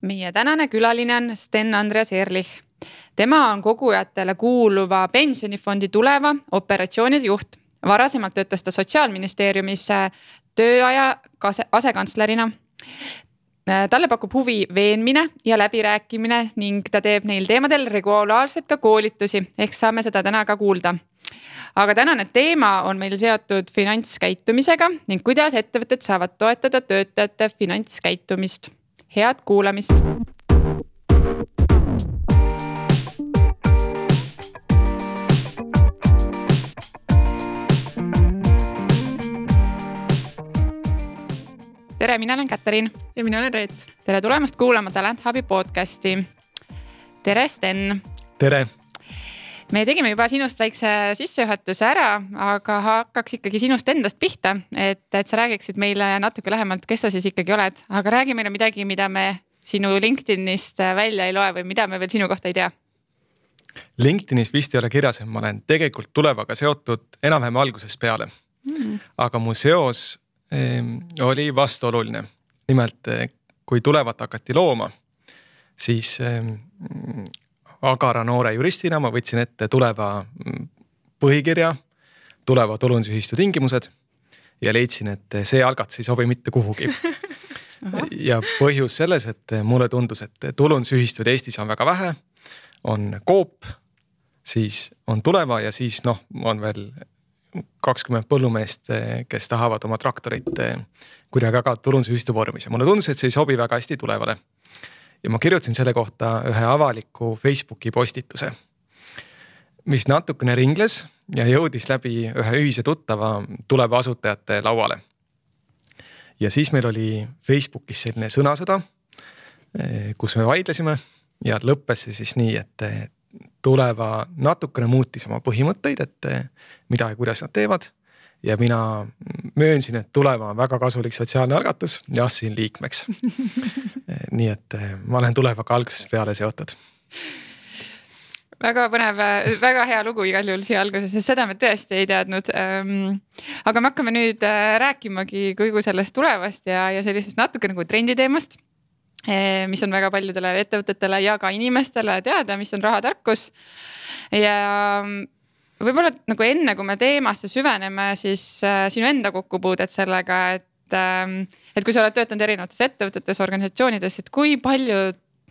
Meie tänane külaline on Sten Andreas Ehrlich. Tema on kogujatele kuuluva pensionifondi Tuleva operatsioonide juht. Varasemalt töötas ta Sotsiaalministeeriumis tööaja asekantslerina. Talle pakub huvi veenmine ja läbirääkimine ning ta teeb neil teemadel regulaarselt ka koolitusi, ehk saame seda täna ka kuulda. Aga tänane teema on meil seotud finantskäitumisega ning kuidas ettevõtted saavad toetada töötajate finantskäitumist. Head kuulamist! Tere, mina olen Katariin. Ja mina olen Reet. Tere tulemast kuulama Talent Hubi podcasti. Tere, Sten. Tere. Me tegime juba sinust väikse sissejuhatuse ära, aga hakkaks ikkagi sinust endast pihta, et sa räägiksid meile natuke lähemalt, kes sa siis ikkagi oled. Aga räägi meile midagi, mida me sinu LinkedInist välja ei loe või mida me veel sinu kohta ei tea. LinkedInis vist ei ole kirjas, et ma olen tegelikult Tulevaga seotud enam-vähem algusest peale. Aga mu seos oli vastuoluline. Nimelt, kui Tulevat hakati looma, siis agara noore juristina ma võtsin ette Tuleva põhikirja, Tuleva tulundusühistu tingimused ja leidsin, et see algatus ei sobi mitte kuhugi. Ja põhjus selles, et mulle tundus, et tulundusühistud Eestis on väga vähe, on Coop, siis on Tuleva ja siis on veel 20 põllumeest, kes tahavad oma traktorit kuidagi aga tulundusühistu vormis. Ja mulle tundus, et see ei sobi väga hästi Tulevale. Ja ma kirjutasin selle kohta ühe avaliku Facebooki postituse, mis natukene ringles ja jõudis läbi ühe ühise tuttava Tuleva asutajate lauale. Ja siis meil oli Facebookis selline sõnasõda, kus me vaidlesime ja lõppes see siis nii, et Tuleva natukene muutis oma põhimõtteid, et mida ja kuidas nad teevad. Ja mina möönsin, et Tuleva on väga kasulik sotsiaalne algatus ja astusin liikmeks. Nii et ma olen Tulevaga algusest peale seotud. Väga põnev, väga hea lugu igal juhul siia alguses, sest seda me tõesti ei teadnud. Aga me hakkame nüüd rääkimagi kõigu sellest Tulevast ja sellisest natuke nagu trenditeemast, mis on väga paljudele ettevõtetele ja ka inimestele teada, mis on rahatarkus. Ja võib-olla nagu enne, kui me teemasse süveneme, siis sinu enda kokkupuudet sellega, et kui sa oled töötanud erinevates ettevõtetes, organisatsioonides, et kui palju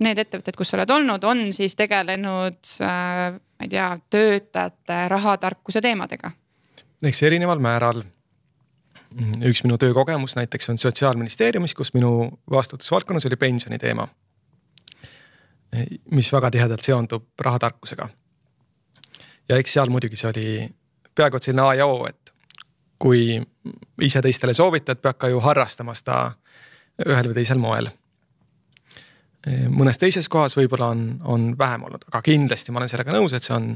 need ettevõtted, kus sa oled olnud, on siis tegelenud, ma ei tea, töötajate rahatarkuse teemadega? Eks erineval määral. Üks minu töökogemus näiteks on Sotsiaalministeeriumis, kus minu vastutusvaldkonnas oli pensioni teema, mis väga tihedalt seondub rahatarkusega. Ja eks seal muidugi see oli peaaegu selline A ja O, et kui ise teistele soovitad, peab ka ju harrastama seda ühel või teisel moel. Mõnes teises kohas võib-olla on vähem olnud, aga kindlasti ma olen sellega nõus, et see on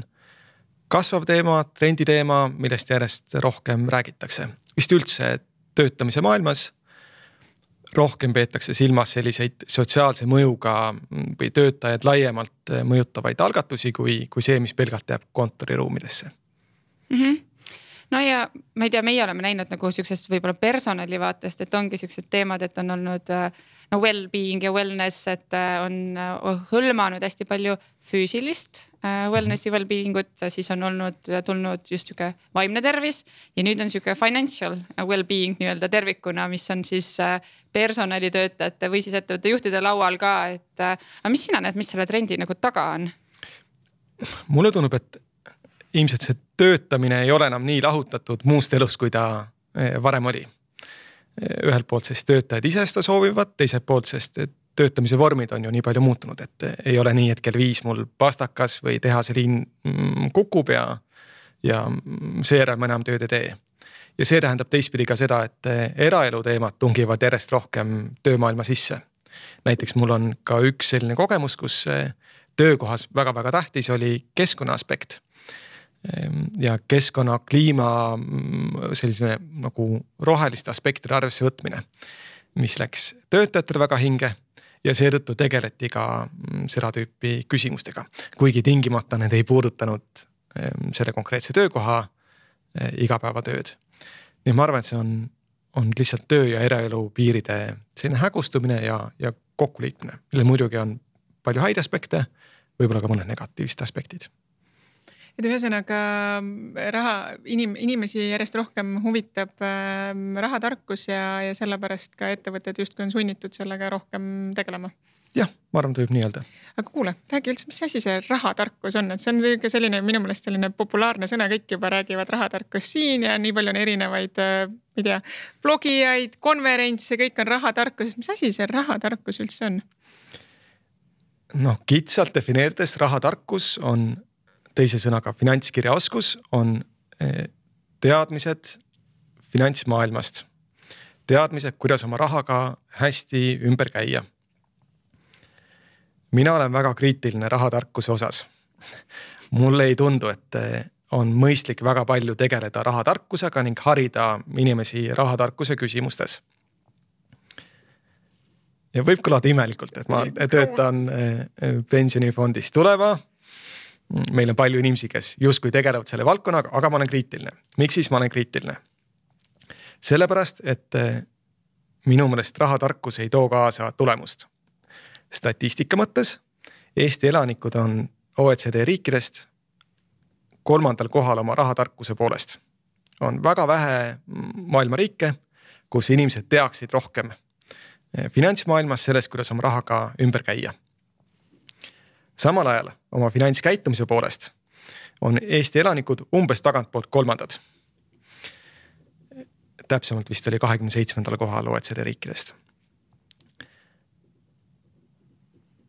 kasvav teema, trendi teema, millest järjest rohkem räägitakse. Vist üldse töötamise maailmas rohkem peetakse silmas selliseid sotsiaalse mõjuga või töötajad laiemalt mõjutavaid algatusi kui see, mis pelgalt jääb kontoriruumidesse. No ja ma ei tea, meie oleme näinud nagu sellisest võib-olla personali vaatest, et ongi sellised teemad, et on olnud well-being ja wellness, et on hõlmanud hästi palju füüsilist wellnessi well-beingut, siis on tulnud just siuke vaimne tervis ja nüüd on siuke financial well-being nii-öelda tervikuna, mis on siis personalitöötajate või siis ettevõtte juhtide laual ka, et mis sina näed, mis selle trendi nagu taga on? Mulle tundub, et ilmselt see töötamine ei ole enam nii lahutatud muust elust, kui ta varem oli. Ühelt poolt sest töötajad ise seda soovivad, teiselt poolt sest töötamise vormid on ju nii palju muutunud, et ei ole nii, et kell 5 mul pastakas või tehase liin kukub ja seejärel ma enam tööd ei tee. Ja see tähendab teistpidi ka seda, et eraelu teemad tungivad järjest rohkem töömaailma sisse. Näiteks mul on ka üks selline kogemus, kus töökohas väga-väga tähtis oli keskkonna aspekt. Ja keskkonna, kliima, sellise nagu roheliste aspektide arvesse võtmine, mis läks töötajatele väga hinge ja seetõttu tegeleti ka seda tüüpi küsimustega. Kuigi tingimata need ei puudutanud selle konkreetse töökoha igapäevatööd. Nii ma arvan, et see on lihtsalt töö ja eraelu piiride selline hägustumine ja kokkuliitmine, millel muidugi on palju häid aspekte, võib-olla ka mõned negatiivsed aspektid. Et ühesõnaga inimesi järjest rohkem huvitab rahatarkus ja sellepärast ka ettevõtted justkui on sunnitud sellega rohkem tegelema. Jah, ma arvan, ta võib nii öelda. Aga kuule, räägi üldse, mis asi see rahatarkus on? Et see on selline, minu meelest selline populaarne sõna, kõik juba räägivad rahatarkus siin ja nii palju on erinevaid, ma ei tea, blogijaid, konverentse, kõik on rahatarkus. Mis asi see rahatarkus üldse on? No, kitsalt defineerides rahatarkus on teise sõnaga finantskirjaoskus, on teadmised finantsmaailmast. Teadmised, kuidas oma rahaga hästi ümber käia. Mina olen väga kriitiline rahatarkuse osas. Mulle ei tundu, et on mõistlik väga palju tegeleda rahatarkusega ning harida inimesi rahatarkuse küsimustes. Ja võib kõlada imelikult, et ma töötan pensionifondis Tuleva. Meil on palju inimesi, kes justkui tegelevad selle valdkonnaga, aga ma olen kriitiline. Miks siis ma olen kriitiline? Sellepärast, et minu meelest rahatarkus ei too kaasa tulemust. Statistika mõttes Eesti elanikud on OECD riikidest 3. kohal oma rahatarkuse poolest. On väga vähe maailma riike, kus inimesed teaksid rohkem finantsmaailmas sellest, kuidas oma rahaga ümber käia. Samal ajal oma finantskäitumise poolest on Eesti elanikud umbes tagantpoolt 3. Täpsemalt vist oli 27. kohal OECD riikidest.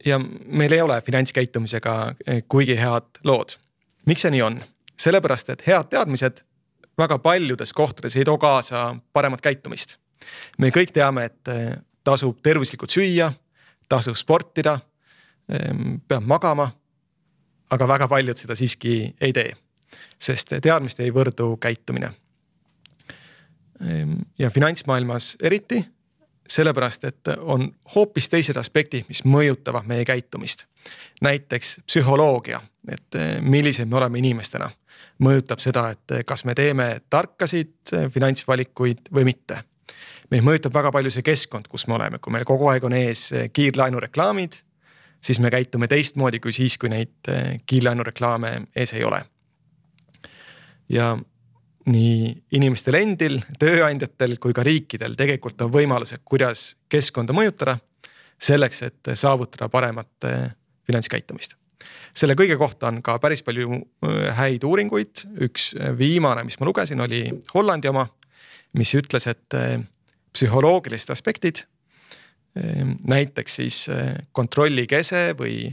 Ja meil ei ole finantskäitumisega kuigi head lood. Miks see nii on? Sellepärast, et head teadmised väga paljudes kohtades ei too kaasa paremat käitumist. Me kõik teame, et tasub tervislikult süüa, tasub sportida, peab magama, aga väga paljud seda siiski ei tee, sest teadmist ei võrdu käitumine. Ja finantsmaailmas eriti, sellepärast, et on hoopis teised aspektid, mis mõjutavad meie käitumist. Näiteks psühholoogia, et millised me oleme inimestena, mõjutab seda, et kas me teeme tarkasid finantsvalikuid või mitte. Meid mõjutab väga palju see keskkond, kus me oleme. Kui meil kogu aeg on ees kiirlaenureklaamid, siis me käitume teistmoodi kui siis, kui neid kiirlaenureklaame ees ei ole. Ja nii inimestel endil, tööandjatel kui ka riikidel tegelikult on võimalused, kuidas keskkonda mõjutada selleks, et saavutada paremat finantskäitumist. Selle kõige kohta on ka päris palju häid uuringuid. Üks viimane, mis ma lugesin, oli Hollandi oma, mis ütles, et psühholoogilised aspektid, näiteks siis kontrollikese või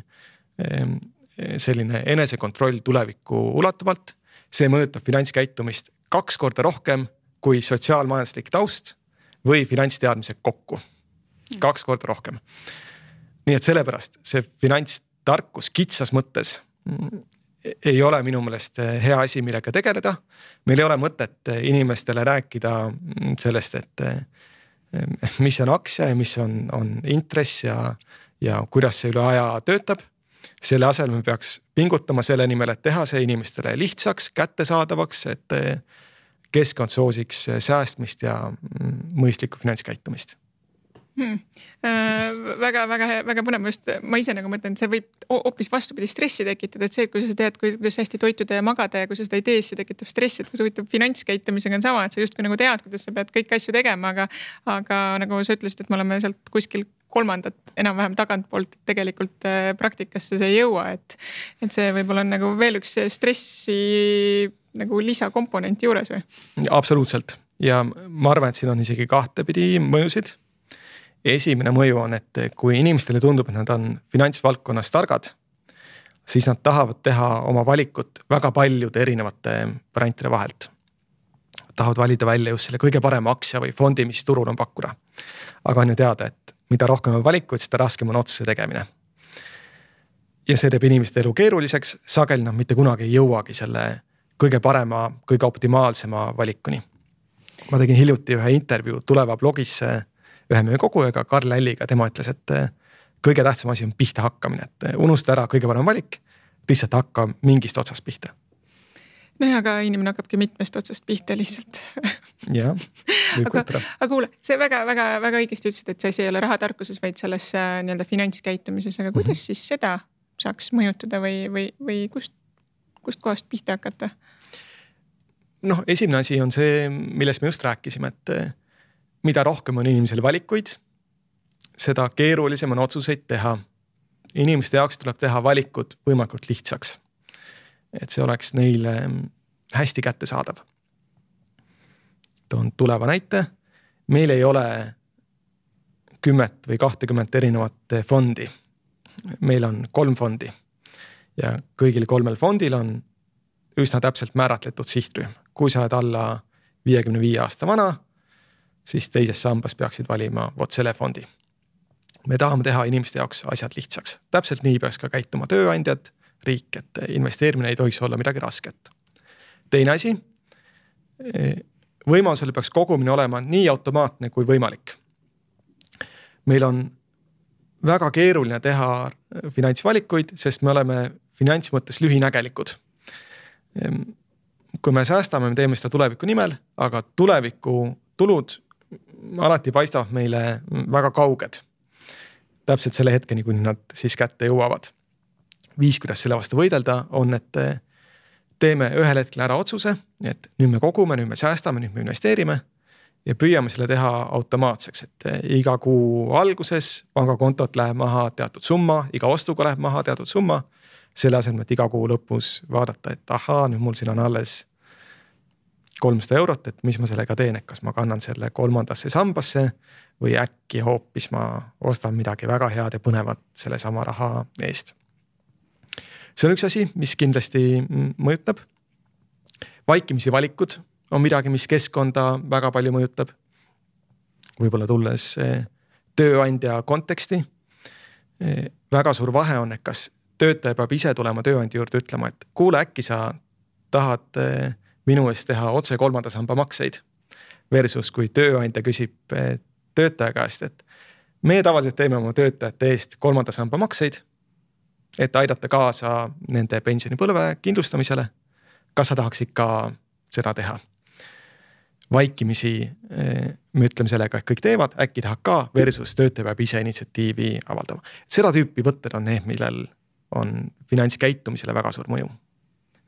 selline enesekontroll tulevikku ulatuvalt, see mõjutab finantskäitumist 2 korda rohkem kui sotsiaalmajanduslik taust või finantsteadmised kokku. 2 korda rohkem. Nii et sellepärast see finantstarkus kitsas mõttes ei ole minu meelest hea asi, millega tegeleda. Meil ei ole mõtet inimestele rääkida sellest, et mis on aktsia ja mis on intress ja kuidas see üle aja töötab. Selle asel me peaks pingutama selle nimel, et teha see inimestele lihtsaks, kättesaadavaks, et keskkond soosiks säästmist ja mõistlikku finantskäitumist. Väga põnev just. Ma ise nagu mõtlen, et see võib hoopis vastupidi stressi tekitada, et see, et kui sa tead, kuidas hästi toituda ja magada ja kui sa seda ei tee, see tekitab stressi, et kui sa huvitav finantskäitumisega on sama, et sa justkui nagu tead, kuidas sa pead kõik asju tegema, aga nagu sa ütlesid, et me oleme sealt kuskil 3. enam-vähem tagantpoolt tegelikult praktikasse see ei jõua, et see võib-olla on nagu veel üks stressi nagu lisakomponenti juures või? Absoluutselt. Ja ma arvan, et siin on isegi 2 pidi mõjusid. Esimene mõju on, et kui inimestele tundub, et nad on finantsvaldkonnas targad, siis nad tahavad teha oma valikut väga paljude erinevate variantide vahelt. Tahavad valida välja just selle kõige parema aktsia või fondi, mis turul on pakkuda. Aga on ju teada, et mida rohkem on valikuid, seda raskem on otsuse tegemine. Ja see teeb inimeste elu keeruliseks, sageli nad mitte kunagi ei jõuagi selle kõige parema, kõige optimaalsema valikuni. Ma tegin hiljuti ühe intervjuu Tuleva blogis ühe meie kogujaga, Karl Älliga, tema ütles, et kõige tähtsam asi on pihta hakkamine, et unusta ära kõige parem valik, lihtsalt hakka mingist otsast pihta. no aga inimene hakkabki mitmest otsast pihta lihtsalt. Jah, aga kuule, see väga õigesti ütlesid, et see ei ole rahatarkuses, vaid selles nii-öelda finantskäitumises, aga kuidas siis seda saaks mõjutada või kust kohast pihta hakata? Noh, esimene asi on see, millest me just rääkisime, et mida rohkem on inimesel valikuid, seda keerulisem on otsuseid teha. Inimeste jaoks tuleb teha valikud võimalikult lihtsaks. Et see oleks neile hästi kättesaadav. Toon tuleva näite. Meil ei ole 10 või 20 erinevat fondi. Meil on 3 fondi ja kõigil 3 fondil on üsna täpselt määratletud sihtrühm. Kui sa oled alla 55 aasta vana, siis teises sambas peaksid valima vot selle fondi. Me tahame teha inimeste jaoks asjad lihtsaks. Täpselt nii peaks ka käituma tööandjad, riik, et investeerimine ei tohiks olla midagi rasket. Teine asi, võimalusel peaks kogumine olema nii automaatne kui võimalik. Meil on väga keeruline teha finantsvalikuid, sest me oleme finantsmõttes lühinägelikud. Kui me säästame, me teeme seda tuleviku nimel, aga tuleviku tulud alati paistavad meile väga kauged. Täpselt selle hetkeni, kui nad siis kätte jõuavad. Viis, kuidas selle vastu võidelda, on, et teeme ühel hetkel ära otsuse, et nüüd me kogume, nüüd me säästame, nüüd me investeerime ja püüame selle teha automaatseks, et iga kuu alguses pangakontot läheb maha teatud summa, iga ostuga läheb maha teatud summa, selle asemel, et iga kuu lõpus vaadata, et ahaa, nüüd mul siin on alles 300 eurot, et mis ma sellega teen, et kas ma kannan selle 3. sambasse või äkki hoopis ma ostan midagi väga head ja põnevat selle sama raha eest. See on üks asi, mis kindlasti mõjutab. Vaikimisi valikud on midagi, mis keskkonda väga palju mõjutab. Võib-olla tulles tööandja konteksti. Väga suur vahe on, et kas töötaja peab ise tulema tööandja juurde ütlema, et kuule, äkki sa tahad minu eest teha otse 3. samba makseid versus kui tööandja küsib töötaja käest, et me tavaliselt teeme oma töötajate eest 3. samba makseid, et aidata kaasa nende pensionipõlve kindlustamisele. Kas sa tahaksid ka seda teha? Vaikimisi me ütleme sellega, et kõik teevad, äkki tahab ka versus töötaja peab ise initsiatiivi avaldama. Seda tüüpi võtted on need, millel on finantskäitumisele väga suur mõju.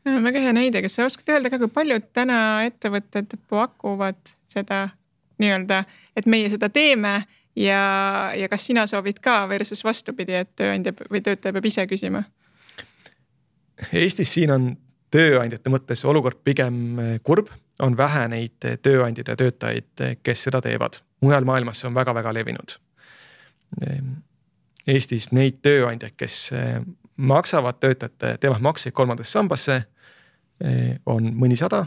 Väga hea näide, kas sa oskad öelda ka, kui paljud täna ettevõtted pakuvad seda nii-öelda, et meie seda teeme ja kas sina soovid ka versus vastupidi, et tööandja või töötaja peab ise küsima? Eestis siin on tööandjate mõttes olukord pigem kurb, on vähe neid tööandjad ja töötajaid, kes seda teevad. Mujal maailmas see on väga-väga levinud. Eestis neid tööandjaid, kes maksavad töötajate, teevad makseid 3. sambasse, on mõnisada.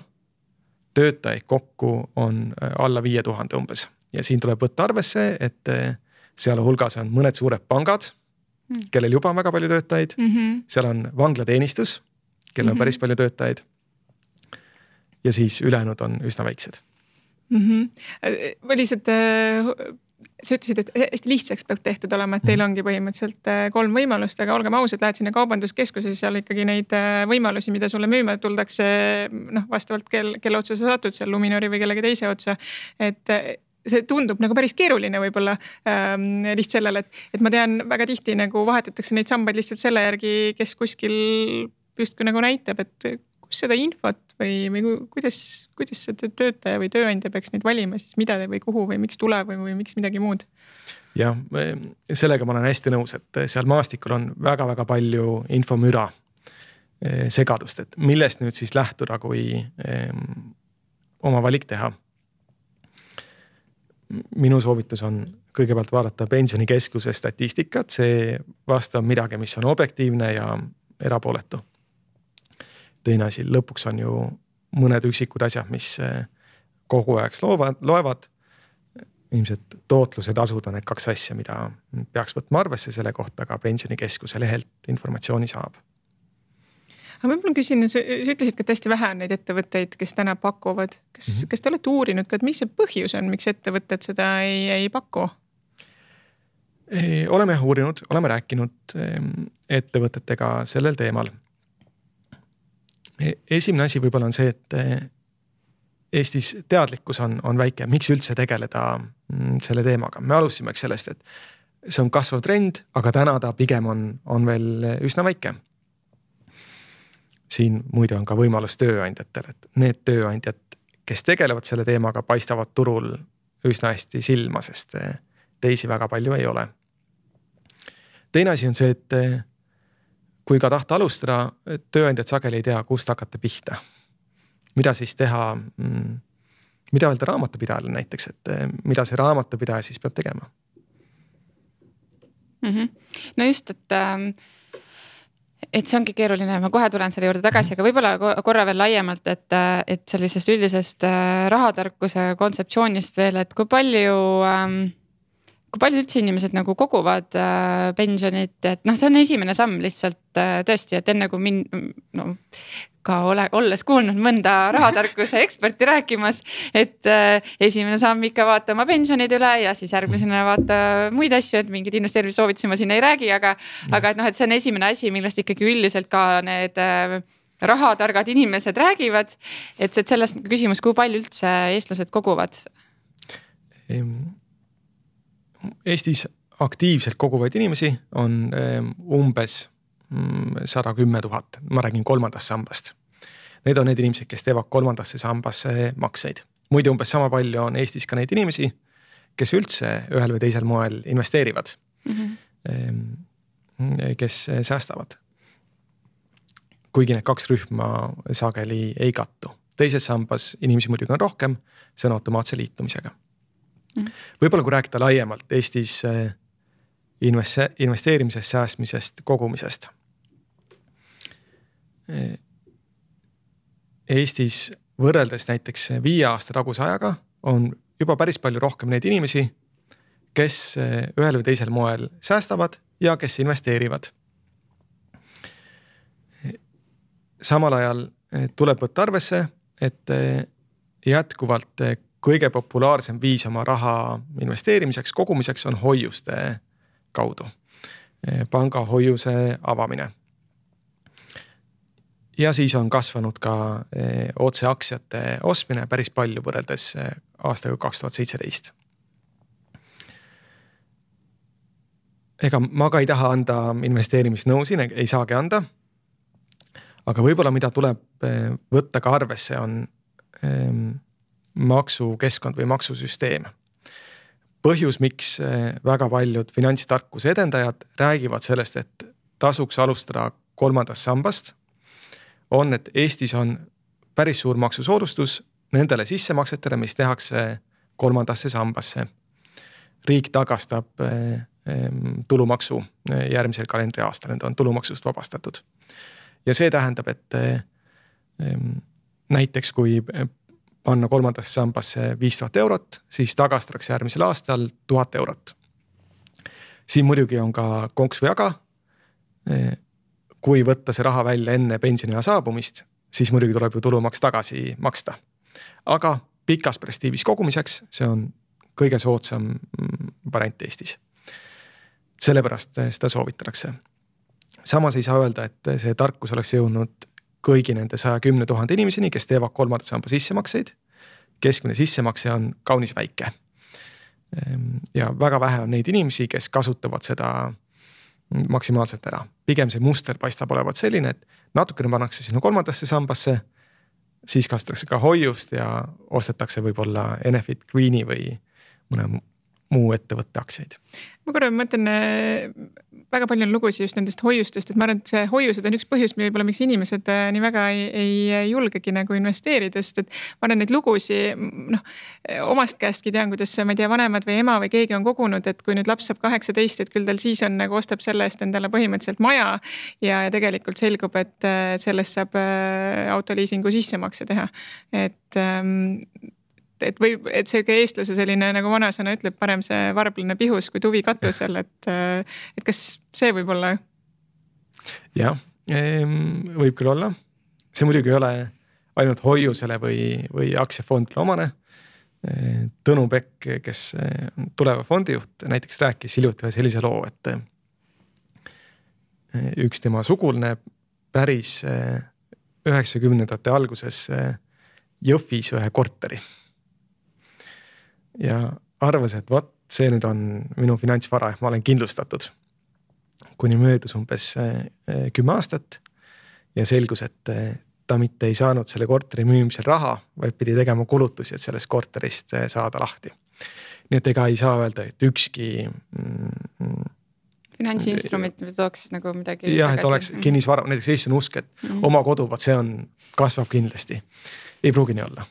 Töötajaid kokku on alla 5000 umbes. Ja siin tuleb võtta arvesse, et seal hulgas on mõned suured pangad, kellel juba on väga palju töötajaid. Seal on vanglateenistus, kellel on päris palju töötajaid. Ja siis ülejäänud on üsna väiksed. Lihtsalt, sa ütlesid, et hästi lihtsaks peab tehtud olema, et teil ongi põhimõtteliselt 3 võimalust, aga olgem ausad, lähed sinna kaubanduskeskuses, seal ikkagi neid võimalusi, mida sulle müüma tuldakse vastavalt kelle otsa sa satud, seal Luminori või kellegi teise otsa, et see tundub nagu päris keeruline võib-olla lihtsalt sellele, et ma tean väga tihti nagu vahetatakse neid sambaid lihtsalt selle järgi, kes kuskil justkui nagu näitab, et kus seda infot või kuidas see töötaja või tööandja peaks neid valima, siis mida või kuhu või miks tuleb või miks midagi muud? Jah, sellega ma olen hästi nõus, et seal maastikul on väga-väga palju infomüra segadust, et millest nüüd siis lähtuda, kui oma valik teha. Minu soovitus on kõigepealt vaadata pensionikeskuse statistikat, see vastab midagi, mis on objektiivne ja erapooletu. Teine asi, lõpuks on ju mõned üksikud asjad, mis kogu aeg loevad. Ilmselt tootlused asud on need 2 asja, mida peaks võtma arvesse selle kohta, aga pensionikeskuse lehelt informatsiooni saab. Aga võib-olla küsin, sa ütlesid, et hästi vähe on neid ettevõtteid, kes täna pakuvad. Kas te olete uurinud ka, et mis see põhjus on, miks ettevõtted seda ei paku? Oleme uurinud, oleme rääkinud ettevõtetega sellel teemal. Esimene asi võib-olla on see, et Eestis teadlikkus on väike, miks üldse tegeleda selle teemaga. Me alusime sellest, et see on kasvav trend, aga täna ta pigem on veel üsna väike. Siin muide on ka võimalus tööandjatel, et need tööandjad, kes tegelevad selle teemaga, paistavad turul üsna hästi silma, sest teisi väga palju ei ole. Teine asi on see, et kui ka tahta alustada, tööandjad sageli ei tea, kust hakata pihta. Mida siis teha, mida öelda raamatupidajale näiteks, et mida see raamatupidaja siis peab tegema? No just, et see ongi keeruline, ma kohe tulen selle juurde tagasi, aga võib-olla korra veel laiemalt, et sellisest üldisest rahatarkuse kontseptsioonist veel, et kui palju üldse inimesed nagu koguvad pensionit, et see on esimene samm lihtsalt tõesti, et enne kui ka olles kuulnud mõnda rahatarkuse eksperti rääkimas, et esimene samm ikka vaata oma pensionid üle ja siis järgmisena vaata muid asju, et mingid investeerimissoovitusi ma siin ei räägi, aga et see on esimene asi, millest ikkagi üldiselt ka need rahatargad inimesed räägivad, et sellest küsimus, kui palju üldse eestlased koguvad? Eestis aktiivselt koguvaid inimesi on umbes 110 000, ma räägin 3. sambast. Need on need inimesed, kes teevad 3. sambasse makseid. Muide umbes sama palju on Eestis ka neid inimesi, kes üldse ühel või teisel moel investeerivad, kes säästavad. Kuigi need 2 rühma sageli ei kattu. Teises sambas inimesi muidugi on rohkem, see on automaatse liitumisega. Võib-olla kui rääkida laiemalt Eestis investeerimisest, säästmisest, kogumisest. Eestis võrreldes näiteks 5 aasta taguse ajaga on juba päris palju rohkem neid inimesi, kes ühel või teisel moel säästavad ja kes investeerivad. Samal ajal tuleb võtta arvesse, et jätkuvalt kõige populaarsem viis oma raha investeerimiseks, kogumiseks on hoiuste kaudu. Panga hoiuse avamine. Ja siis on kasvanud ka otse aktsiate ostmine päris palju võrreldes aastaga 2017. Ega ma ka ei taha anda investeerimisnõu siin, ei saagi anda. Aga võib-olla mida tuleb võtta ka arvesse on maksukeskkond või maksusüsteem. Põhjus, miks väga paljud finantstarkuse edendajad räägivad sellest, et tasuks alustada 3. sambast, on, et Eestis on päris suur maksusoodustus nendele sissemaksetele, mis tehakse 3. sambasse. Riik tagastab tulumaksu järgmisel kalendriaastal, need on tulumaksust vabastatud. Ja see tähendab, et näiteks kui panna 3. sambasse 5000 eurot, siis tagastatakse järgmisel aastal 1000 eurot. Siin muidugi on ka konks või aga. Kui võtta see raha välja enne pensioniea saabumist, siis muidugi tuleb ju tulumaks tagasi maksta. Aga pikas perspektiivis kogumiseks see on kõige soodsam variant Eestis. Sellepärast seda soovitatakse. Samas ei saa öelda, et see tarkus oleks jõudnud kõigi nende 110 000 inimeseni, kes teevad 3. samba sissemakseid. Keskmine sissemakse on kaunis väike. Ja väga vähe on neid inimesi, kes kasutavad seda maksimaalselt ära. Pigem see muster paistab olevat selline, et natukene pannakse sinna 3. sambasse, siis kasutatakse ka hoiust ja ostetakse võib-olla Enefit Greeni või mõne muu ettevõtte aktsiaid. Ma korra mõtlen, väga palju on lugusid just nendest hoiustest, et ma arvan, et see hoiused on üks põhjus, võib-olla miks inimesed nii väga ei julgegi nagu investeerida, sest et ma arvan neid lugusid, omast käestki tean, kuidas ma ei tea, vanemad või ema või keegi on kogunud, et kui nüüd laps saab 18, et küll tal siis on nagu ostab selle eest endale põhimõtteliselt maja ja tegelikult selgub, et sellest saab autoliisingu sissemakse teha. Et see ka eestlase selline, nagu vanasõna ütleb, parem see varblane pihus kui tuvi katusel, et kas see võib olla? Jah, võib küll olla. See muidugi ei ole ainult hoiusele või aktsiafondile omane. Tõnu Pekk, kes tuleva fondijuht, näiteks rääkis hiljuti ühe sellise loo, et üks tema sugulane päris 90ndate alguses Jõhvis ühe korteri. Ja arvas, et vot see nüüd on minu finantsvara, ma olen kindlustatud. Kuni möödus umbes 10 aastat ja selgus, et ta mitte ei saanud selle korteri müümisel raha, vaid pidi tegema kulutusi, et sellest korterist saada lahti. Nii et ega ei saa öelda, et ükski finantsinstrument tooks nagu midagi jah, et oleks kinnisvara, näiteks Eesti on usk, et oma kodu, see on, kasvab kindlasti. Ei pruugi nii olla.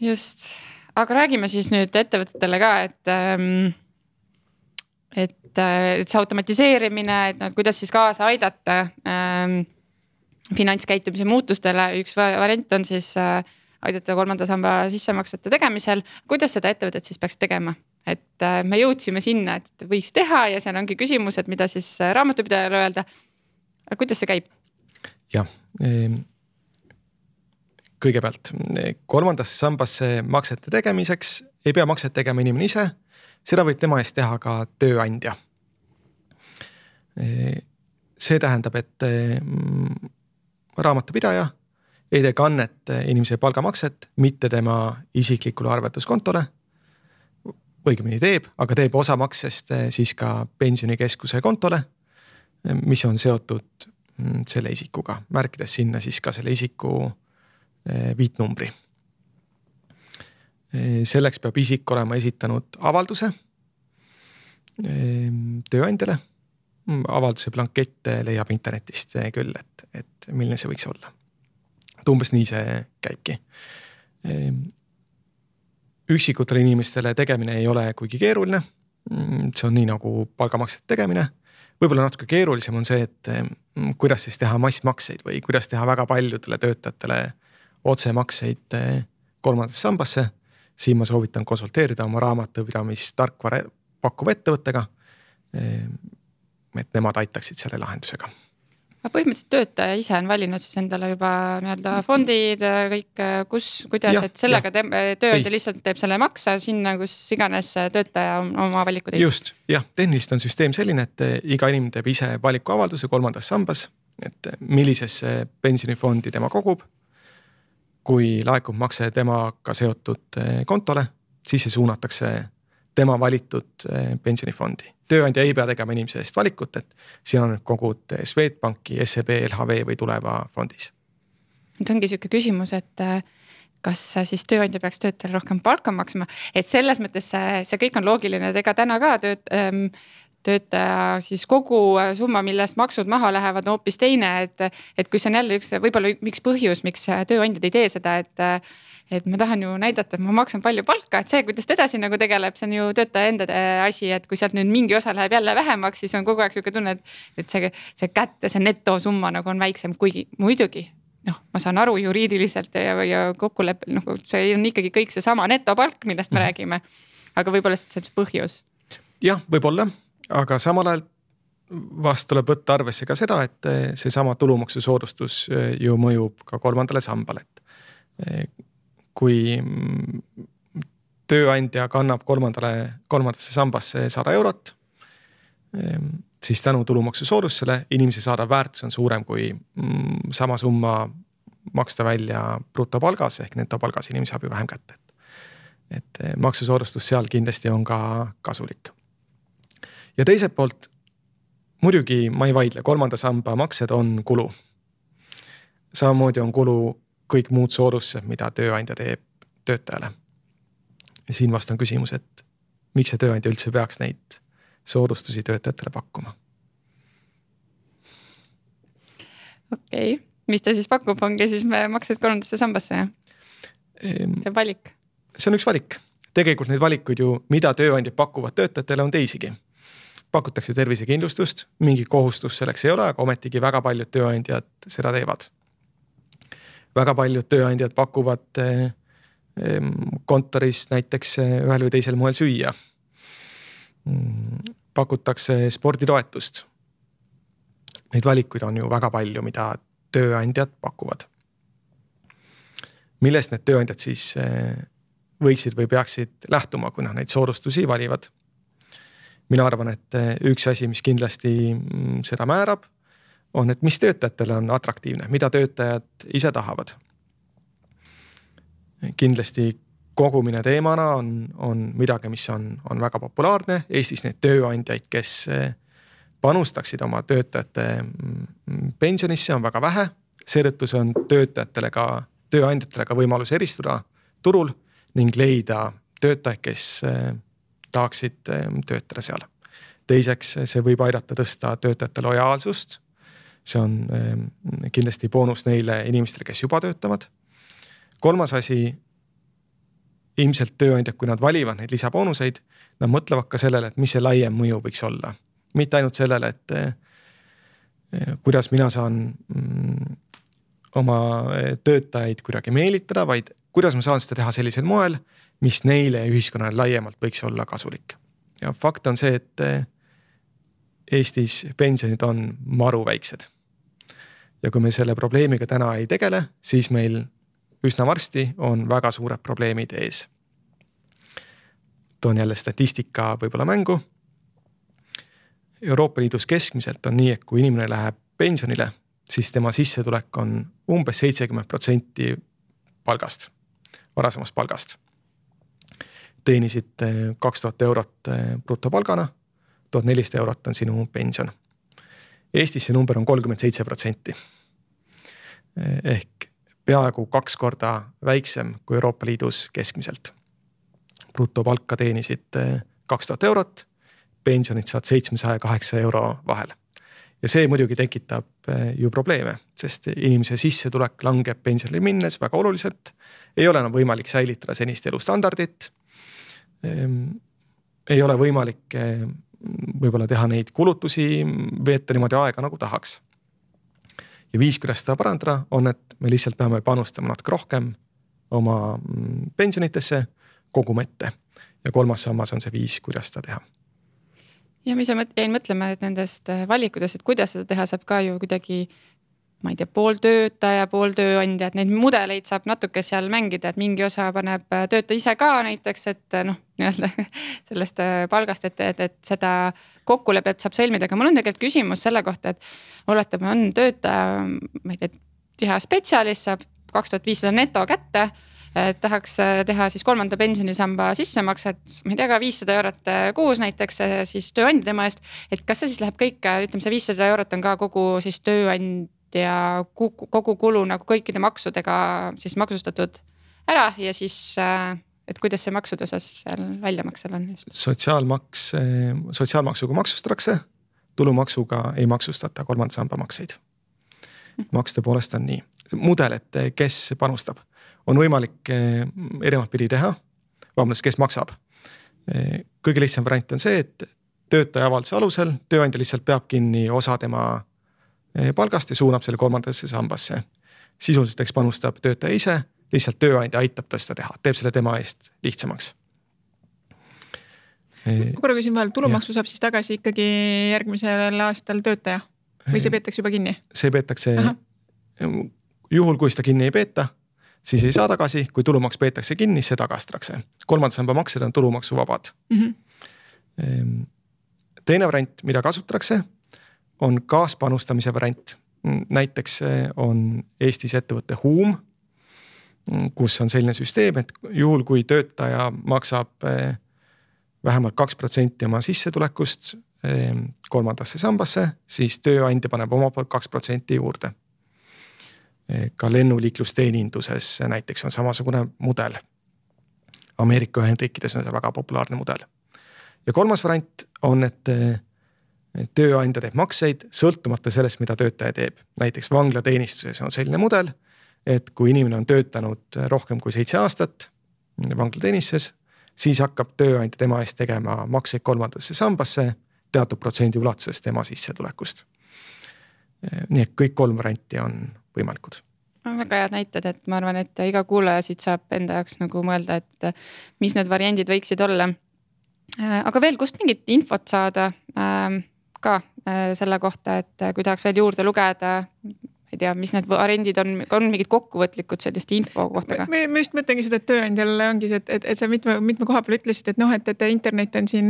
Just, aga räägime siis nüüd ettevõtetele ka, et see automatiseerimine, et kuidas siis kaasa aidata finantskäitumise muutustele. Üks variant on siis aidata 3. samba sissemaksete tegemisel. Kuidas seda ettevõtet siis peaks tegema? Et me jõudsime sinna, et võiks teha ja seal ongi küsimus, et mida siis raamatupidajale öelda. Kuidas see käib? Jah, kõigepealt 3. sambasse maksete tegemiseks ei pea makset tegema inimene ise, seda võib tema eest teha ka tööandja. See tähendab, et raamatupidaja ei tee kannet inimese palgamakset, mitte tema isiklikule arvetuskontole, õigemini teeb, aga teeb osa maksest siis ka pensionikeskuse kontole, mis on seotud selle isikuga, märkides sinna siis ka selle isiku viitnumbri. Selleks peab isik olema esitanud avalduse tööandjale. Avalduse blankette leiab internetist küll, et milline see võiks olla. Umbes nii see käibki. Üksikutele inimestele tegemine ei ole kuigi keeruline. See on nii nagu palgamakset tegemine. Võib-olla natuke keerulisem on see, et kuidas siis teha massmakseid või kuidas teha väga paljudele töötajatele otsemakseid 3. sambasse. Siin ma soovitan konsulteerida oma raamatupidamistarkvara pakkuva ettevõttega, et nemad aitaksid selle lahendusega. Põhimõtteliselt töötaja ise on valinud siis endale juba fondid, kõik, kuidas, et sellega tööandja lihtsalt teeb selle maksa sinna, kus iganes töötaja oma valikud teeb. Just, jah, tehniliselt on süsteem selline, et iga inimene teeb ise valikuavalduse 3. sambas, et millisesse pensionifondi tema kogub. Kui laekub makse temaga seotud kontole, siis see suunatakse tema valitud pensionifondi. Tööandja ei pea tegema inimese eest valikut, et siin on kogud Swedbanki, SEB, LHV või Tuleva fondis. Nüüd ongi selline küsimus, et kas siis tööandja peaks töötajale rohkem palka maksma, et selles mõttes see kõik on loogiline, et ega täna ka töötaja siis kogu summa, millest maksud maha lähevad, on hoopis teine, et kui see on jälle võib-olla üks põhjus, miks tööandjad ei tee seda, et ma tahan ju näidata, et ma maksan palju palka, et see, kuidas ta edasi nagu tegeleb, see on ju töötaja enda asi, et kui sealt nüüd mingi osa läheb jälle vähemaks, siis on kogu aeg selline tunne, et see kätte, see netosumma nagu on väiksem, kuigi muidugi, ma saan aru juriidiliselt ja kokkuleppel, see on ikkagi kõik see sama netopalk, millest me räägime, aga võib-olla see on põhjus. Jah, võib-olla, aga samal ajal vast tuleb võtta arvesse ka seda, et see sama tulumaksusoodustus ju mõjub ka 3. sambale, et kui tööandja kannab 3. sambasse 100 eurot, siis tänu tulumaksusoodustusele inimese saadav väärtus on suurem kui sama summa maksta välja brutopalgas ehk netopalgas inimese saab ju vähem kätte. Et maksusoodustus seal kindlasti on ka kasulik. Ja teiselt poolt, muidugi ma ei vaidle, 3. samba maksed on kulu. Samamoodi on kulu kõik muud soodustused, mida tööandja teeb töötajale. Ja siin vast on küsimus, et miks see tööandja üldse peaks neid soodustusi töötajatele pakkuma? Okei, mis ta siis pakub, ongi siis me maksed 3. sambasse, jah? See valik. See on üks valik. Tegelikult neid valikuid ju, mida tööandjad pakuvad töötajatele, on teisigi. Pakutakse tervisekindlustust, mingi kohustus selleks ei ole, aga ometigi väga paljud tööandjad seda teevad. Väga paljud tööandjad pakuvad kontoris näiteks ühel või teisel moel süüa. Pakutakse sporditoetust. Neid valikuid on ju väga palju, mida tööandjad pakuvad. Millest need tööandjad siis võiksid või peaksid lähtuma, kui neid soodustusi valivad? Mina arvan, et üks asi, mis kindlasti seda määrab, on, et mis töötajatele on atraktiivne, mida töötajad ise tahavad. Kindlasti kogumine teemana on midagi, mis on väga populaarne. Eestis neid tööandjaid, kes panustaksid oma töötajate pensionisse, on väga vähe. Seetõttu see on tööandjatele ka võimalus eristuda turul ning leida töötajaid, kes tahaksid töötada seal. Teiseks, see võib aidata tõsta töötajate lojaalsust. See on kindlasti boonus neile inimestele, kes juba töötavad. Kolmas asi, ilmselt tööandjad, kui nad valivad neid lisaboonuseid, nad mõtlevad ka sellele, et mis see laiem mõju võiks olla. Mitte ainult sellele, et kuidas mina saan oma töötajaid kuidagi meelitada, vaid kuidas ma saan seda teha sellisel moel, mis neile ühiskonnale laiemalt võiks olla kasulik. Ja fakt on see, et Eestis pensionid on maru väiksed. Ja kui me selle probleemiga täna ei tegele, siis meil üsna varsti on väga suured probleemid ees. Toon jälle statistika võib-olla mängu. Euroopa Liidus keskmiselt on nii, et kui inimene läheb pensionile, siis tema sissetulek on umbes 70% palgast, varasemast palgast. Teenisid 2000 eurot brutopalgana, 1400 eurot on sinu pension. Eestis see number on 37%. Ehk peaaegu 2 korda väiksem kui Euroopa Liidus keskmiselt. Brutopalka teenisid 2000 eurot, pensionid saad 700-800 euro vahel. Ja see muidugi tekitab ju probleeme, sest inimese sissetulek langeb pensionile minnes väga oluliselt. Ei ole enam võimalik säilitada senist elustandardit. Ei ole võimalik võib-olla teha neid kulutusi, veeta niimoodi aega nagu tahaks. Ja viis, kuidas seda parandada, on, et me lihtsalt peame panustama natuke rohkem oma pensionitesse kogume ette. Ja kolmas sammas on see viis, kuidas seda teha. Ja mis jäin mõtlema, et nendest valikudest, et kuidas seda teha, saab ka ju kuidagi, ma ei tea, pool töötaja, pool tööandja, et neid mudeleid saab natuke seal mängida, et mingi osa paneb töötaja ise ka näiteks, et nii-öelda sellest palgast, et seda kokkulepet saab sõlmida. Aga mul on tegelikult küsimus selle kohta, et oletame on töötaja, ma ei tea, tihe spetsialist, saab 2500 neto kätte, et tahaks teha siis 3. pensionisamba sissemaksed, ma ei tea ka 500 eurot kuus näiteks siis tööandja tema eest, et kas see siis läheb kõik, ütleme see 500 eurot on ka kogu siis tööandja kogu kulu nagu kõikide maksudega siis maksustatud ära ja siis, et kuidas see maksude osas seal väljamaksel on? Sotsiaalmaksuga maksustatakse, tulumaksuga ei maksustata 3. samba makseid. Maksude poolest on nii. Mudel, et kes panustab, on võimalik erinevat pidi teha, kes maksab. Kõige lihtsam variant on see, et töötaja avalduse alusel tööandja lihtsalt peab kinni osa tema palgast ja suunab selle 3. sambasse. Sisuliselt panustab töötaja ise, lihtsalt tööandja aitab ta seda teha, teeb selle tema eest lihtsamaks. Korra küsin vahel, tulumaksu saab siis tagasi ikkagi järgmisel aastal töötaja või see peetakse juba kinni? See peetakse, juhul kui seda kinni ei peeta, siis ei saa tagasi, kui tulumaks peetakse kinni, see tagastatakse. 3. samba maksed on tulumaksu vabad. Teine variant, mida kasutatakse, on kaaspanustamise variant. Näiteks on Eestis ettevõtte Huum, kus on selline süsteem, et juhul kui töötaja maksab vähemalt 2% oma sissetulekust 3. sambasse, siis tööandja paneb oma poolt 2% juurde. Ka lennuliiklusteeninduses näiteks on samasugune mudel. Ameerika Ühendriikides on see väga populaarne mudel. Ja kolmas variant on, et tööandja teeb makseid sõltumata sellest, mida töötaja teeb. Näiteks vanglateenistuses on selline mudel, et kui inimene on töötanud rohkem kui 7 aastat vanglateenistuses, siis hakkab tööandja tema eest tegema makseid 3. sambasse teatud protsendi ulatuses tema sissetulekust. Nii et kõik 3 varianti on võimalikud. Väga head näited, et ma arvan, et iga kuulaja siit saab enda jaoks nagu mõelda, et mis need variandid võiksid olla. Aga veel kust mingit infot saada ka selle kohta, et kui tahaks veel juurde lugeda, ei tea, mis need variandid on mingid kokkuvõtlikud sellist info kohta ka? Ma just mõtlengi seda, et tööandjal ongi see, et sa mitme koha peal ütlesid, et internet on siin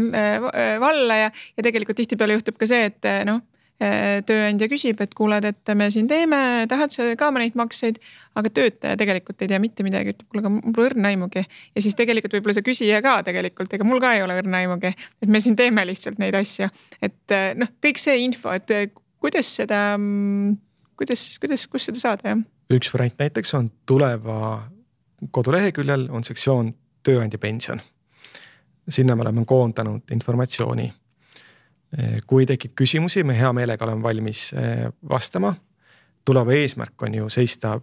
valla ja tegelikult tihtipeale juhtub ka see, et tööandja küsib, et kuuled, et me siin teeme, tahad sa ka neid makseid, aga töötaja tegelikult ei tea mitte midagi, ütleb, kuule, aga mul pole õrna aimugi. Ja siis tegelikult võib-olla see küsija ka tegelikult, ega mul ka ei ole õrna aimugi, et me siin teeme lihtsalt neid asju. Et noh, kõik see info, et kuidas seda, kus seda saada, jah? Üks variant näiteks on Tuleva koduleheküljel on sektsioon tööandja pension. Sinna me oleme koondanud informatsiooni. Kui tekib küsimusi, me hea meelega oleme valmis vastama. Tuleva eesmärk on ju seista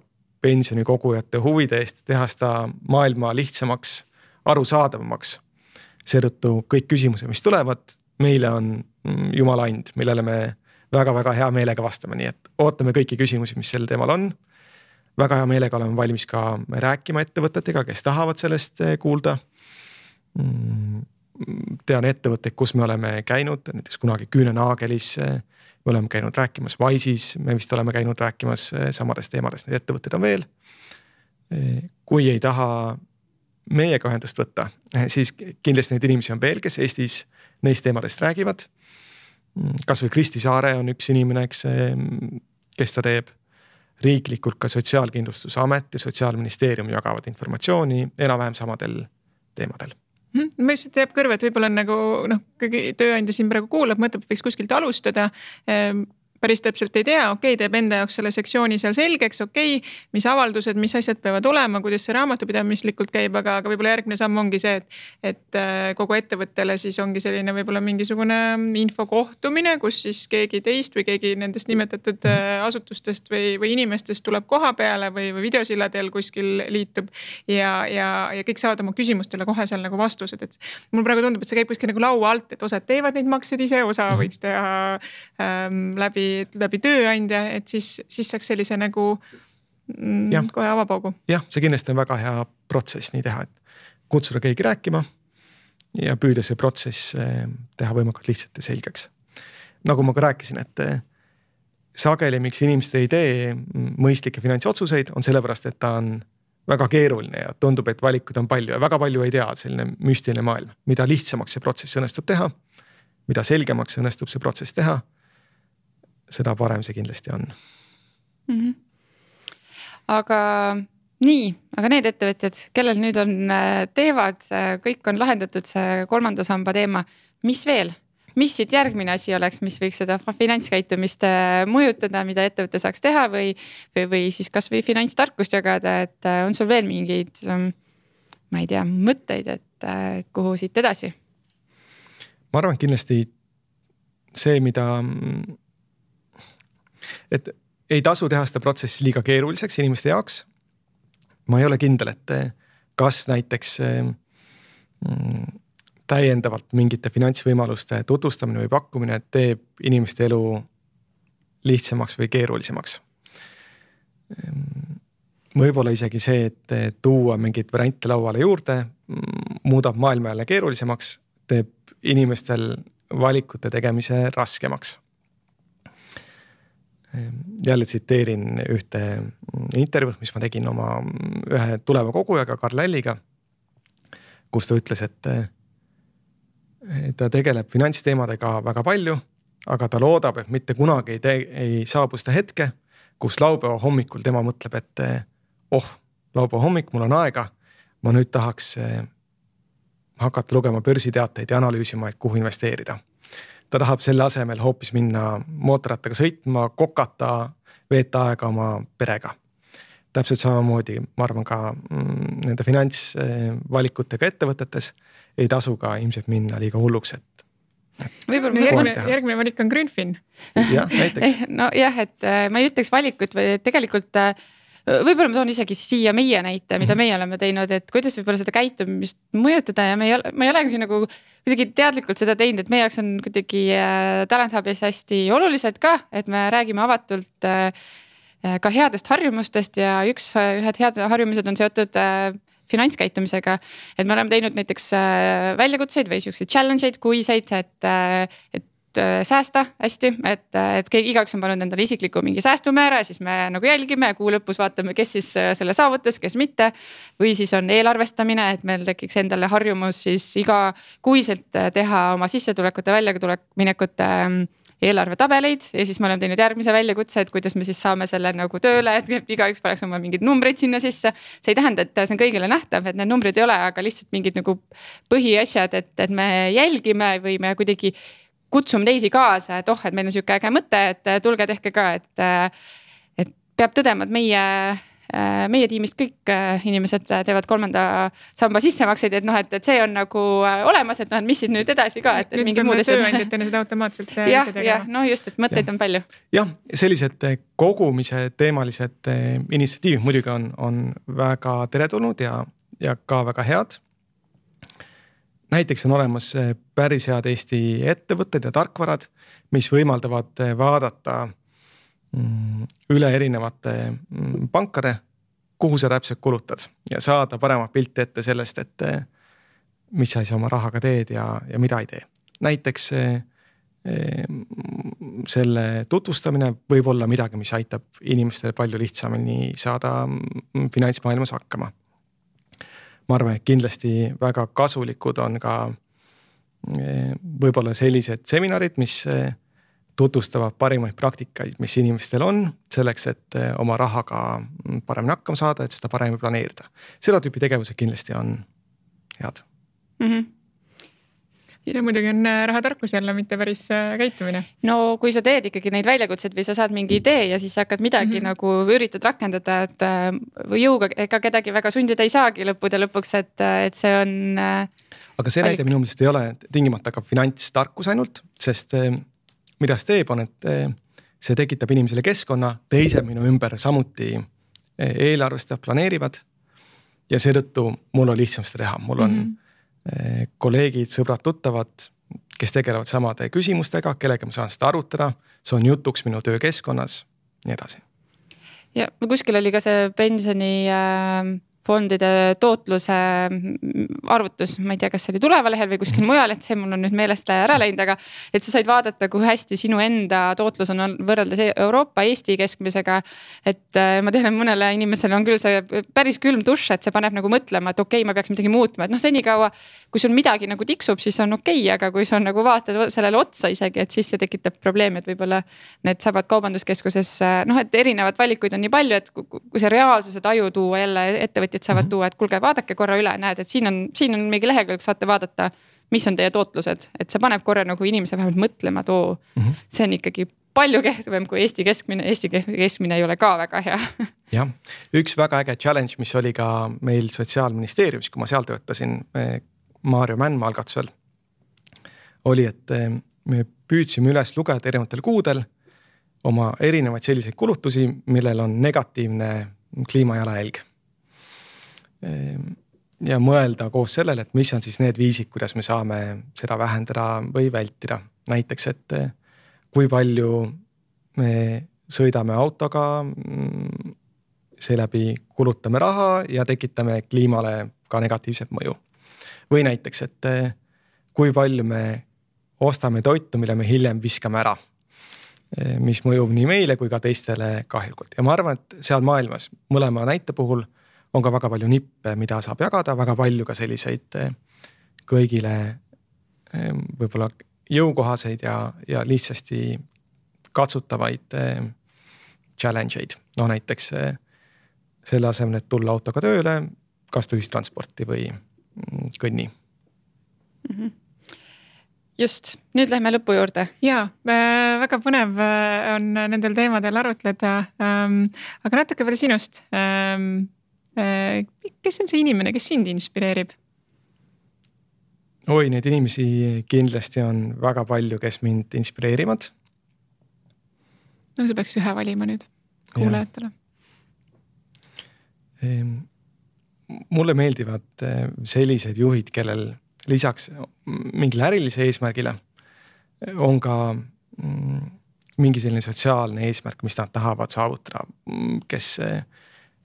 pensionikogujate huvide eest, teha seda maailma lihtsamaks, arusaadavamaks. Seetõttu kõik küsimused, mis tulevad, meile on jumala and, millele me väga-väga hea meelega vastame, nii et ootame kõiki küsimusi, mis sel teemal on. Väga hea meelega oleme valmis ka rääkima ettevõtetega, kes tahavad sellest kuulda. Tean ettevõtteid, kus me oleme käinud, näiteks kunagi Küünenaagelis, me oleme käinud rääkimas Wise'is, me vist oleme käinud rääkimas samadest teemadest, need ettevõtted on veel. Kui ei taha meiega ühendust võtta, siis kindlasti neid inimesi on veel, kes Eestis neist teemadest räägivad. Kas või Kristi Saare on üks inimene, kes ta teeb. Riiklikult ka Sotsiaalkindlustusamet ja Sotsiaalministeerium jagavad informatsiooni enam-vähem samadel teemadel. Ma lihtsalt jääb kõrva, et võib-olla nagu tööandja siin praegu kuulab, mõtleb, võiks kuskilt alustada. Päris täpselt ei tea, teeb enda jaoks selle sektsiooni seal selgeks, mis avaldused, mis asjad peavad olema, kuidas see raamatupidamislikult käib, aga võib-olla järgmine samm ongi see, et kogu ettevõttele siis ongi selline võib-olla mingisugune infokohtumine, kus siis keegi teist või keegi nendest nimetatud asutustest või inimestest tuleb koha peale või videosilladel kuskil liitub ja kõik saavad oma küsimustele kohe seal nagu vastused, et mul praegu tundub, et see käib kuskil nagu laua alt, et osad teevad neid makseid ise, osa võiks teha läbi tööandja, et siis saaks sellise nagu kohe avapaugu. Jah, see kindlasti on väga hea protsess nii teha, et kutsuda keegi rääkima ja püüda see protsess teha võimalikult lihtsalt ja selgeks. Nagu ma ka rääkisin, et sageli, miks inimesed ei tee mõistlikke finantsotsuseid, on sellepärast, et ta on väga keeruline ja tundub, et valikud on palju ja väga palju ei tea selline müstiline maailm. Mida lihtsamaks see protsess õnnestub teha, mida selgemaks õnnestub see protsess teha, seda parem see kindlasti on. Aga need ettevõtjad, kellel nüüd teevad, kõik on lahendatud see 3. samba teema, mis veel? Mis siit järgmine asi oleks, mis võiks seda finantskäitumist mõjutada, mida ettevõte saaks teha või siis kas või finantstarkust jagada, et on sul veel mingeid, ma ei tea, mõtteid, et kuhu siit edasi? Ma arvan kindlasti see, et ei tasu teha seda protsessi liiga keeruliseks inimeste jaoks. Ma ei ole kindel, et kas näiteks täiendavalt mingite finantsvõimaluste tutvustamine või pakkumine teeb inimeste elu lihtsamaks või keerulisemaks. Võib-olla isegi see, et tuua mingid variante lauale juurde, muudab maailma jälle keerulisemaks, teeb inimestel valikute tegemise raskemaks. Jälle tsiteerin ühte intervjuud, mis ma tegin oma ühe Tuleva kogujaga, Karl Lälliga, kus ta ütles, et ta tegeleb finantsteemadega väga palju, aga ta loodab, et mitte kunagi ei saabu seda hetke, kus laupäeva hommikul tema mõtleb, et laupäeva hommik, mul on aega, ma nüüd tahaks hakata lugema börsiteateid ja analüüsima, et kuhu investeerida. Ta tahab selle asemel hoopis minna mootorrattaga sõitma, kokata, veeta aega oma perega. Täpselt samamoodi, ma arvan ka nende finantsvalikutega ettevõtetes ei tasu ka ilmselt minna liiga hulluks, järgmine valik on Grünfin. Jah, näiteks. No jah, et ma ei ütleks valikut või tegelikult võib-olla ma toon isegi siia meie näite, mida meie oleme teinud, et kuidas võib-olla seda käitumist mõjutada ja ma ei ole nagu kuidagi teadlikult seda teinud, et meie jaoks on kuidagi Talent Hubis hästi olulised ka, et me räägime avatult ka headest harjumustest ja ühed head harjumused on seotud finantskäitumisega, et me oleme teinud näiteks väljakutseid või selliseid challenge'id, kuiseid, et säästa hästi, et igaüks on pannud endale isikliku mingi säästumäära, siis me nagu jälgime ja kuu lõpus vaatame, kes siis selle saavutas, kes mitte. Või siis on eelarvestamine, et meil tekiks endale harjumus siis iga kuiselt teha oma sissetulekute väljaminekute eelarvetabeleid ja siis me oleme teinud järgmise väljakutse, et kuidas me siis saame selle nagu tööle, et igaüks paneks oma mingid numbrid sinna sisse. See ei tähenda, et see on kõigile nähtav, et need numbrid ei ole, aga lihtsalt mingid nagu põhiasjad, et me jälgime või me kuidagi kutsume teisi kaasa, et et meil on siuke äge mõte, et tulge tehke ka, et peab tõdema, et meie tiimist kõik inimesed teevad 3. samba sissemakseid, et et see on nagu olemas, et mis siis nüüd edasi ka, et mingi muud asjad. Tööandjatena seda automaatselt just, et mõtteid on palju. Jah, sellised kogumise teemalised initsiatiivid muidugi on väga teretulnud ja ka väga head. Näiteks on olemas päris head Eesti ettevõtted ja tarkvarad, mis võimaldavad vaadata üle erinevate pankade, kuhu sa täpselt kulutad ja saada parema pilti ette sellest, et mis sa siis oma rahaga teed ja mida ei tee. Näiteks selle tutvustamine võib olla midagi, mis aitab inimestele palju lihtsamini saada finantsmaailmas hakkama. Ma arvan, et kindlasti väga kasulikud on ka võib-olla sellised seminarid, mis tutvustavad parimaid praktikaid, mis inimestel on selleks, et oma rahaga paremini hakkama saada, et seda paremini planeerida. Seda tüüpi tegevused kindlasti on head. See muidugi on rahatarkus jälle, mitte päris käitumine. No kui sa teed ikkagi neid väljakutseid või sa saad mingi idee ja siis hakkad midagi nagu üritad rakendada, et jõuga ega kedagi väga sundida ei saagi lõppude lõpuks, et see on aga see näide minu meelest ei ole tingimata ka finantstarkus ainult, sest mida see teeb on, et see tekitab inimesele keskkonna, teised minu ümber samuti eelarvestab, planeerivad ja seetõttu mul on lihtsam seda teha. Mul on kolleegid, sõbrad, tuttavad, kes tegelevad samade küsimustega, kellega ma saan seda arutada, see on jutuks minu töökeskkonnas, nii edasi. Ja kuskil oli ka see pensioni fondide tootluse arvutus, ma ei tea, kas see oli Tulevalehel või kuskil mujal, et see mul on nüüd meelest ära läinud, aga et sa said vaadata, kui hästi sinu enda tootlus on võrreldes Euroopa, Eesti keskmisega, et ma tean, et mõnele inimesele on küll see päris külm dušš, et see paneb nagu mõtlema, et okei, ma peaks midagi muutma, et senikaua, kui sul midagi nagu tiksub, siis on okei, aga kui sa nagu vaatad sellele otsa isegi, et siis see tekitab probleemi, et võib-olla need saavad kaubanduskeskuses, et erinevad valikuid on nii palju, et kui see reaalsuse taju tuua jälle ettevõtjad saavad tuua, et kuulge, vaadake korra üle, näed, et siin on mingi lehekülg, saate vaadata, mis on teie tootlused, et see paneb korra nagu inimese vähemalt mõtlema, et see on ikkagi palju kehvem kui Eesti keskmine ei ole ka väga hea. Jah, üks väga äge challenge, mis oli ka meil Sotsiaalministeeriumis, kui ma seal töötasin Maarjo Mändmaa algatusel, oli, et me püüdsime üles lugeda erinevatel kuudel oma erinevaid selliseid kulutusi, millel on negatiivne kliimajalajälg. Ja mõelda koos sellele, et mis on siis need viisid, kuidas me saame seda vähendada või vältida. Näiteks, et kui palju me sõidame autoga, seeläbi kulutame raha ja tekitame kliimale ka negatiivset mõju. Või näiteks, et kui palju me ostame toitu, mille me hiljem viskame ära, mis mõjub nii meile kui ka teistele kahjulikult. Ja ma arvan, et seal maailmas mõlema näite puhul on ka väga palju nippe, mida saab jagada, väga palju ka selliseid kõigile võib-olla jõukohaseid ja lihtsasti katsutavaid challenge'id. Näiteks selle asemel, et tulla autoga tööle, kasuta ühistransporti või kõnni. Just, nüüd lähme lõpu juurde. Jaa, väga põnev on nendel teemadel arutleda, aga natuke veel sinust. Kes on see inimene, kes sind inspireerib? Oi, neid inimesi kindlasti on väga palju, kes mind inspireerivad. No sa peaks ühe valima nüüd kuulajatele. Mulle meeldivad sellised juhid, kellel lisaks mingile ärilise eesmärgile on ka mingi selline sotsiaalne eesmärk, mis nad tahavad saavutada, kes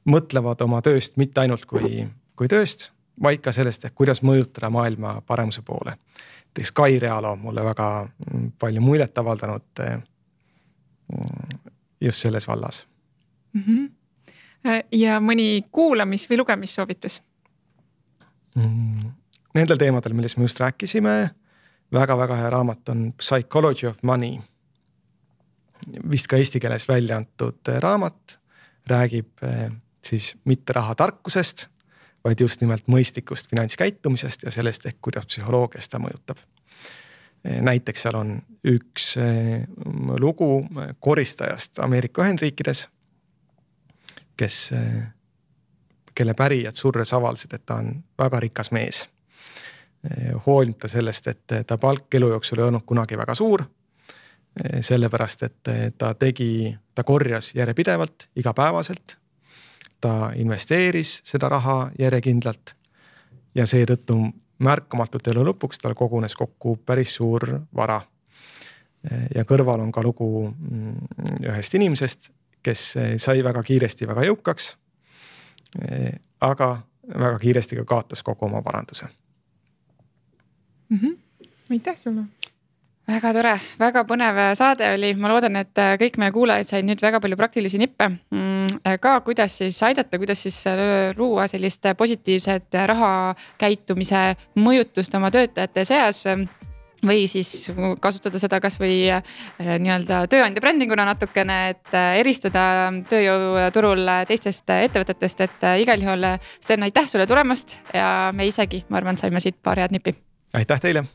mõtlevad oma tööst mitte ainult kui tööst, vaid ka sellest, et kuidas mõjutada maailma paremuse poole. Näiteks Kai Realo on mulle väga palju muljet avaldanud just selles vallas. Ja mõni kuulamis- või lugemissoovitus? Nendel teemadel, millest me just rääkisime, väga-väga hea raamat on Psychology of Money, vist ka eesti keeles välja antud raamat räägib siis mitte raha tarkusest, vaid just nimelt mõistlikust finantskäitumisest ja sellest ehk kuidas psühholoogia seda mõjutab. Näiteks seal on üks lugu koristajast Ameerika Ühendriikides, kelle pärijad surres avaldasid, et ta on väga rikas mees. Hoolimata sellest, et ta palk elu jooksul ei olnud kunagi väga suur, sellepärast, et ta korjas järjepidevalt, igapäevaselt, ta investeeris seda raha järjekindlalt ja seetõttu märkamatult elu lõpuks tal kogunes kokku päris suur vara. Ja kõrval on ka lugu ühest inimesest, kes sai väga kiiresti väga jõukaks, aga väga kiiresti ka kaotas kogu oma varanduse. Aitäh sulle! Väga tore, väga põnev saade oli. Ma loodan, et kõik meie kuulajad said nüüd väga palju praktilisi nippe ka, kuidas siis aidata, kuidas siis luua sellist positiivset rahakäitumise mõjutust oma töötajate seas või siis kasutada seda kas või nii-öelda tööandja brändinguna natukene, et eristuda tööjõuturul teistest ettevõtetest, et igal juhul Sten, aitäh sulle tulemast ja me isegi, ma arvan, saime siit paar head nippi. Aitäh teile!